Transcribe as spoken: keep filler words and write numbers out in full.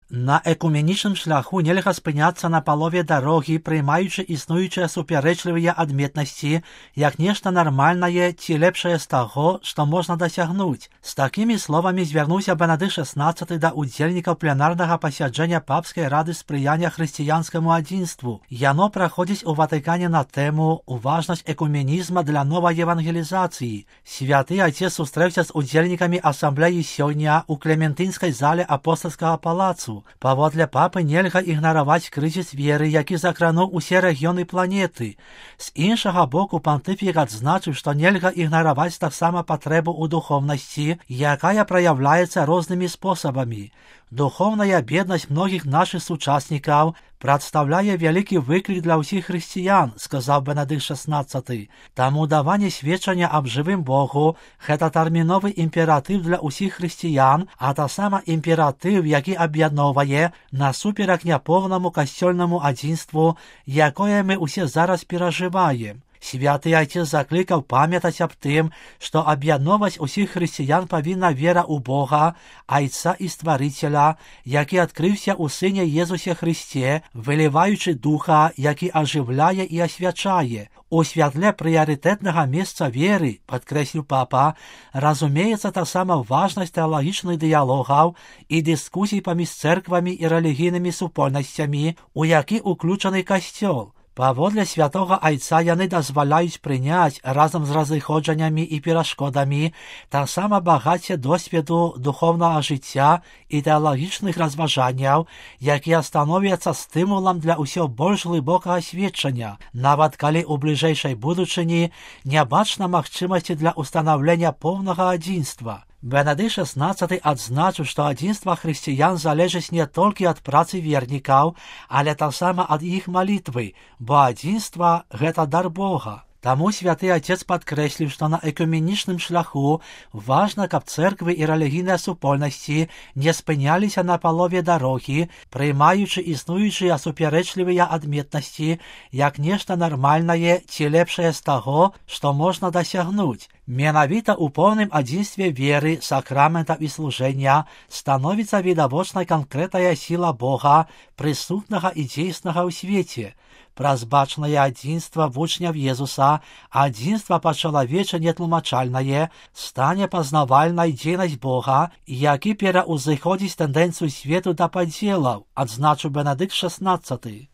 На екуменічным шляху нельга спыняцца на палове дарогі, прыймаючы існуючыя супярэчлівыя адметнасці, як нешта нармальнае ці лепшае з таго, што можна дасягнуць. З такімі словамі звярнуўся Бенедыкт шаснаццаты да удзельнікаў пленарнага пасяджэння папскай рады спрыяння хрысціянскаму адзінству. Яно праходзіць у Ватыкане на тэму «Важнасць экуменізма для новай евангелізацыі». Святы Айцец сустрэўся з удзельнікамі асамблеі сёння ў Клементынскай зале апостальскага палацу. Паводле папы нельга ігнараваць крызіс веры, які закрануў усе рэгіёны планеты. З іншага боку, пантыфік адзначыў, што нельга ігнараваць таксама патрэбу ў духоўнасці, якая праяўляецца рознымі спосабамі. Духоўная беднасць многіх нашых сучаснікаў прадстаўляе вялікі выклік для ўсіх хрысціян, сказаў Бенедыкт шаснаццаты. Таму даванне сведчання аб жывым Богу – гэта тэрміновы імператыў для ўсіх хрысціян, а таксама імператыў, які аб'ядноўвае насуперак няпоўнаму касцёльнаму адзінству, якое мы ўсе зараз перажываем. Святы Айцец заклікаў памятаць аб тым, што аб'ядноўваць усіх хрысціян павінна вера ў Бога, Айца і Стварыцеля, які адкрыўся ў Сыне Езусе Хрысце, выліваючы Духа, які ажыўляе і асвячае. У святле прыярытэтнага месца веры, падкрэсліў папа, разумеецца таксама важнасць тэалагічных дыялогаў і дыскусій паміж цэрквамі і рэлігійнымі супольнасцямі, у які ўключаны касцёл. Паводле святога Айца яны дазваляюць прыняць разам з разыходжаннямі і перашкодамі таксама багацце досведу духоўнага жыцця і тэалагічных разважанняў, якія становяцца стымулам для ўсё больш глыбокага сведчання, нават калі ў бліжэйшай будучыні не бачна магчымасці для ўстанаўлення поўнага адзінства. Бенедыкт шаснаццаты адзначыў, што адзінства хрысціян залежыць не толькі ад працы вернікаў, але таксама ад іх малітвы, бо адзінства – гэта дар Бога. Таму святы Айцец падкрэсліў, што на экуменічным шляху важна, каб цэрквы і рэлігійныя супольнасці не спыняліся на палове дарогі, прыймаючы існуючыя супярэчлівыя адметнасці як нешта нармальнае ці лепшае з таго, што можна дасягнуць. Менавіта ў поўным адзінстве веры, сакраментаў і служэння становіцца відавочнай канкрэтная сіла Бога, прысутнага і дзейснага ў свеце. Праз бачнае адзінства вучняў Езуса, адзінства па-чалавечы нетлумачальнае, стане пазнавальнай дзейнасць Бога, які пераўзыходзіць тэндэнцыю свету да падзелаў, адзначыў Бенедыкт шаснаццаты.